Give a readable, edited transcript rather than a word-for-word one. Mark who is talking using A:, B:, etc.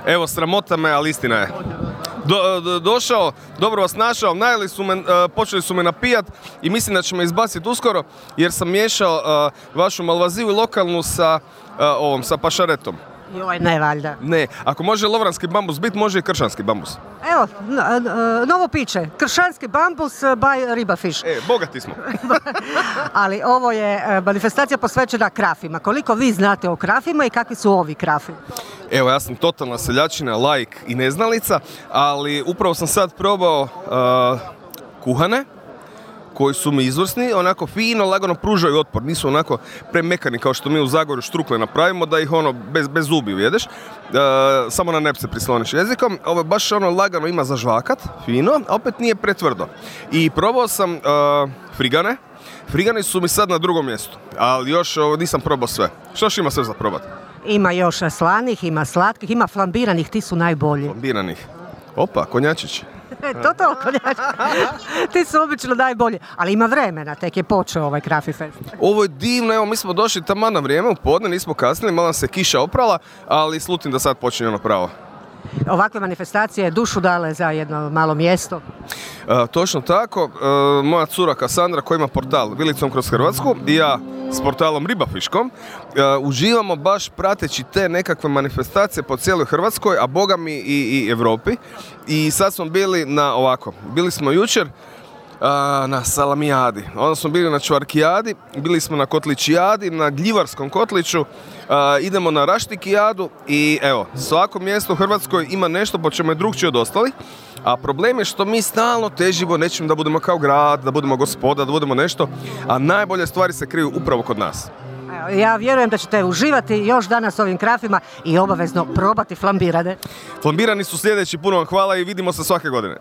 A: Evo, sramota me, ali istina je. Došao, dobro vas našao, najeli su me, počeli su me napijat i mislim da će me izbaciti uskoro jer sam miješao vašu malvaziju i lokalnu sa pašaretom.
B: Joj, ne valjda.
A: Ne, ako može lovranski bambus biti, može i kršanski bambus.
B: Evo, novo piće, kršanski bambus by Ribafish.
A: Bogati smo.
B: Ali ovo je manifestacija posvećena krafima. Koliko vi znate o krafima i kakvi su ovi krafi?
A: Evo, ja sam totalna seljačina, laik i neznalica, ali upravo sam sad probao kuhane, koji su mi izvrsni, onako fino, lagano pružaju otpor, nisu onako premekani kao što mi u Zagorju štrukle napravimo, da ih bez zubi ujedeš, samo na nep se prisloniš jezikom. Ovo je baš lagano, ima za žvakat, fino, a opet nije pretvrdo. I probao sam frigane. Frigani su mi sad na drugom mjestu, ali još nisam probao sve. Što još ima sve za probati?
B: Ima još slanih, ima slatkih, ima flambiranih, ti su najbolji.
A: Flambiranih. Opa, konjačić.
B: To konjačić. Ti su obično najbolji, ali ima vremena, tek je počeo ovaj Krafi Fest.
A: Ovo je divno, evo mi smo došli taman na vrijeme, u podne, nismo kasnili, malo nam se kiša oprala, ali slutim da sad počinje ono pravo.
B: Ovakve manifestacije dušu dale za jedno malo mjesto.
A: Točno tako, moja cura Kasandra koja ima portal Vilicom kroz Hrvatsku i ja s portalom Ribafiškom uživamo baš prateći te nekakve manifestacije po cijeloj Hrvatskoj, a boga mi i Europi. I sad smo bili smo jučer na Salamijadi, onda smo bili na Čvarkijadi, bili smo na Kotličijadi, na Gljivarskom kotliću, idemo na Raštikijadu i evo, svako mjesto u Hrvatskoj ima nešto po čemu je drugčije od ostalih, a problem je što mi stalno težimo nečim da budemo kao grad, da budemo gospoda, da budemo nešto, a najbolje stvari se kriju upravo kod nas.
B: Ja vjerujem da ćete uživati još danas ovim krafima i obavezno probati flambirane.
A: Flambirani su sljedeći, puno vam hvala i vidimo se svake godine.